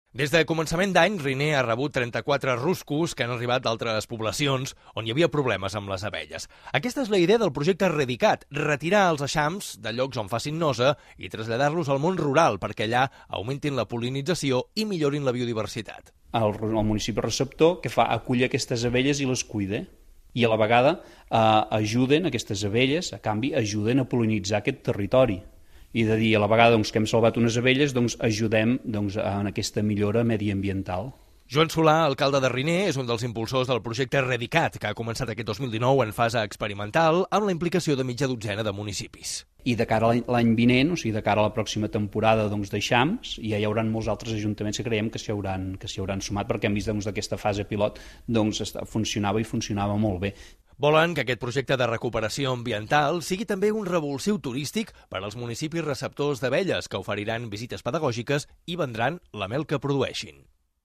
Des de començament d'any, Riner ha rebut 34 ruscos que han arribat d'altres poblacions on hi havia problemes amb les abelles. Aquesta és la idea del projecte Redicat, retirar els eixams de llocs on facin nosa i traslladar-los al món rural perquè allà augmentin la pol·linització i millorin la biodiversitat. El municipi receptor que fa acollir aquestes abelles i les cuida i a la vegada ajuden aquestes abelles, a canvi ajuden a pol·linitzar aquest territori. I de dir a la vegada que hem salvat unes abelles, ajudem en aquesta millora mediambiental. Joan Solà, alcalde de Riner, és un dels impulsors del projecte Redicat, que ha començat aquest 2019 en fase experimental amb la implicació de mitja dotzena de municipis. I de cara a l'any vinent, o sigui, de cara a la pròxima temporada d'eixams, ja hi haurà molts altres ajuntaments que creiem que s'hi hauran sumat, perquè hem vist aquesta fase pilot funcionava i funcionava molt bé. Volen que aquest projecte de recuperació ambiental sigui també un revulsiu turístic per als municipis receptors d'abelles, que oferiran visites pedagògiques i vendran la mel que produeixin.